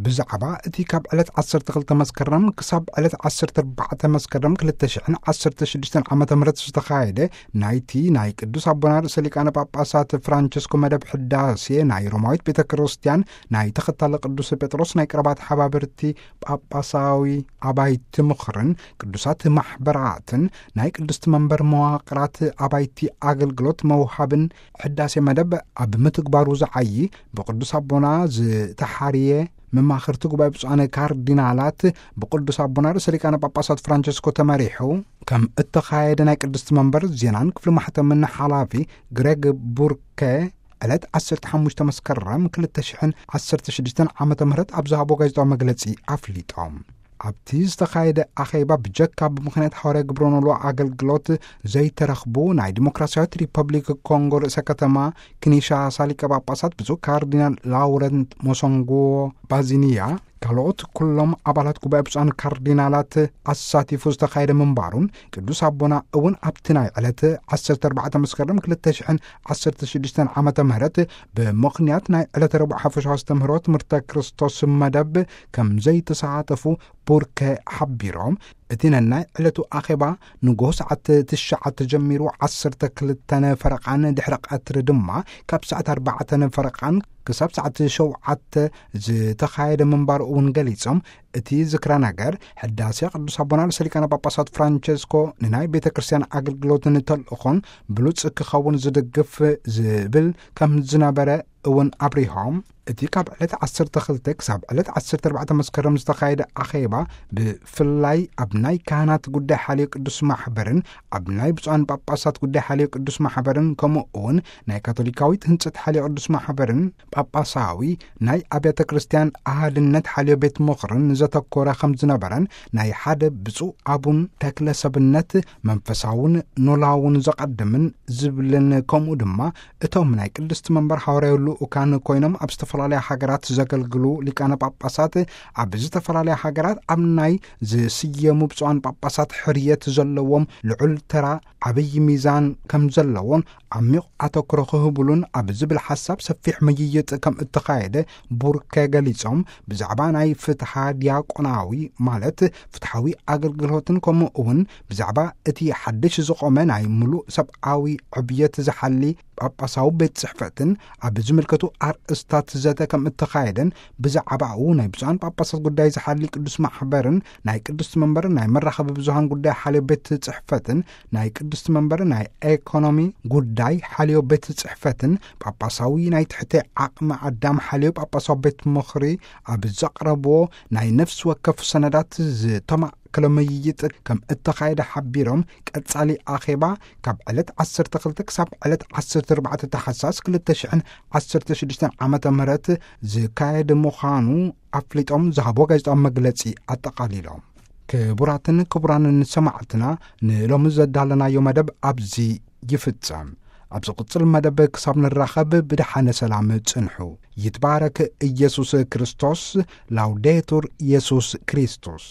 ብዛዕባ እቲ ካብ ዕለት ዓሰርተ ክልተ መስከረም ክሳብ ዕለት ዓሰርተ ኣርባዕተ መስከረም ክልተ ሽሕን ዓሰርተ ሽዱሽተን ዓመተ ምህረት ዝተኻየደ ናይቲ ናይ ቅዱስ ኣቦና ርእሰ ሊቃነ ጳጳሳት ፍራንቸስኮ መደብ ሕዳሴ ናይ ሮማዊት ቤተ ክርስቲያን ናይ ተኸታሊ ቅዱስ ጴጥሮስ ናይ ቀረባ ተሓባበርቲ ጳጳሳዊ ኣባይቲ ምኽርን ቅዱሳት ማሕበራትን ናይ ቅድስቲ መንበር መዋቕራት ኣባይቲ ኣገልግሎት መውሃብን ሕዳሴ መደብ ኣብ ምትግባሩ ዝዓዪ ብቅዱስ ኣቦና ዝተሓርየ መማኽርቲ ጉባኤ ብፁዓን ካርዲናላት ብቅዱስ ኣቦና ርእሰ ሊቃነ ጳጳሳት ፍራንቸስኮ ተመሪሑ ከም እተኻየደ ናይ ቅድስቲ መንበር ዜናን ክፍሊ ማሕተምን ሓላፊ ግሬግ ቡርከ ዕለት ዓሰርተ ሓሙሽተ መስከረም ክልተ ሽሕን ዓሰርተ ሽዱሽተን ዓመተ ምህረት ኣብ ዝሃቦ ጋዜጣዊ መግለጺ ኣፍሊጦም። ኣብቲ ዝተኻየደ ኣኼባ ብጀካ ብምኽንያት ሓዋርያ ግብረ ኖልዎ ኣገልግሎት ዘይተረኽቡ ናይ ዲሞክራሲያዊት ሪፐብሊክ ኮንጎ ርእሰ ከተማ ኪንሻሳ ሊቀ ጳጳሳት ብፁዕ ካርዲናል ላውረንት ሞሶንጎ ባዚኒያ ካልኦት ኩሎም ኣባላት ጉባኤ ብፁዓን ካርዲናላት ኣሳቲፉ ዝተኻየደ ምንባሩን ቅዱስ ኣቦና እውን ኣብቲ ናይ ዕለት ዓሰርተ ኣርባዕተ መስከረም ክልተ ሽሕን ዓሰርተ ሽዱሽተን ዓመተ ምህረት ብምኽንያት ናይ ዕለተ ረቡዕ ሓፈሻዊ ኣስተምህሮ ትምህርተ ክርስቶስ መደብ ከም ዘይተሳተፉ ቡርከ ሓቢሮም፣ እቲ ነናይ ዕለቱ ኣኼባ ንጎሆ ሰዓት ትሽዓተ ጀሚሩ ዓሰርተ ክልተ ፈረቓን ድሕሪ ቀትሪ ድማ ካብ ሰዓት ኣርባዕተ ፈረቓን ክሳብ ሰዓት ሸውዓተ ዝተኻየደ ምንባሩ እውን ገሊጾም፣ እቲ ዝክረ ነገር ሕዳሴ ቅዱስ ኣቦና ርእሰ ሊቃነ ጳጳሳት ፍራንቸስኮ ንናይ ቤተ ክርስቲያን ኣገልግሎትን ተልእኾን ብሉጽ ክኸውን ዝድግፍ ዝብል ከም ዝነበረ እውን ኣብሪሆም፣ እቲ ካብ ዕለት ዓሰርተ ክልተ ክሳብ ዕለት ዓሰርተ ኣርባዕተ መስከረም ዝተኻየደ ኣኼባ ብፍላይ ኣብ ናይ ካህናት ጉዳይ ሓልዮ ቅዱስ ማሕበርን ኣብ ናይ ብፁዓን ጳጳሳት ጉዳይ ሓልዮ ቅዱስ ማሕበርን ከምኡ እውን ናይ ካቶሊካዊት ህንጸት ሓልዮ ቅዱስ ማሕበርን ጳጳሳዊ ናይ ኣብያተ ክርስቲያን ኣሃድነት ሓልዮ ቤት ምኽርን ዘተኮረ ከም ዝነበረን ናይ ሓደ ብፁዕ ኣቡን ተክለ ሰብነት መንፈሳውን ኖላውን ዘቐድምን ዝብልን ከምኡ ድማ እቶም ናይ ቅድስቲ መንበር ሓዋርያዊ ልኡካን ኮይኖም ኣብ ዝተፈላለያ ሃገራት ዘገልግሉ ሊቃነ ጳጳሳት ኣብ ዝተፈላለያ ሃገራት ኣብ ናይ ዝስየሙ ብፁዓን ጳጳሳት ሕርየት ዘለዎም ልዑል ተራ ዓብዪ ሚዛን ከም ዘለዎን ዓሚቕ ኣተኩሮ ክህብሉን ኣብ ዝብል ሓሳብ ሰፊሕ ምይይጥ ከም እተኻየደ ቡርከ ገሊጾም፣ ብዛዕባ ናይ ፍትሓ ዲያቆናዊ ማለት ፍትሓዊ ኣገልግሎትን ከምኡ እውን ብዛዕባ እቲ ሓድሽ ዝቖመ ናይ ምሉእ ሰብኣዊ ዕብየት ዝሓሊ ጳጳሳዊ ቤት ጽሕፈትን ኣብ ዝምልከቱ ኣርእስታት ዘተ ከም እተኻየደን ብዛዕባኡ ናይ ብፁዓን ጳጳሳት ጉዳይ ዝሓሊ ቅዱስ ማሕበርን ናይ ቅድስቲ መንበርን ናይ መራኸቢ ብዙሃን ጉዳይ ሓልዮ ቤት ጽሕፈትን ናይ ቅድስቲ መንበር ናይ ኤኮኖሚ ጉዳይ ሓልዮ ቤት ጽሕፈትን ጳጳሳዊ ናይ ትሕቲ ዓቕሚ ኣዳም ሓልዮ ጳጳሳዊ ቤት ምኽሪ ኣብ ዘቕረብዎ ናይ ነፍሲ ወከፍ ሰነዳት ዝተማእከለ ምይይጥ ከም እተኻየደ ሓቢሮም፣ ቀጻሊ ኣኼባ ካብ ዕለት ዓሰርተ ክልተ ክሳብ ዕለት ዓሰርተ ኣርባዕተ ታሕሳስ ክልተ ሽሕን ዓሰርተ ሽዱሽተን ዓመተ ምህረት ዝካየድ ምዃኑ ኣፍሊጦም ዝሃቦ ጋዜጣዊ መግለጺ ኣጠቓሊሎም። ክቡራትን ክቡራንን ሰማዕትና፣ ንሎሚ ዘዳለናዮ መደብ ኣብዚ ይፍጸም። ኣብ ዝቕጽል መደብ ክሳብ ንራኸብ ብደሓነ ሰላም ጽንሑ። ይትባረክ ኢየሱስ ክርስቶስ። ላውዴቱር ኢየሱስ ክርስቶስ።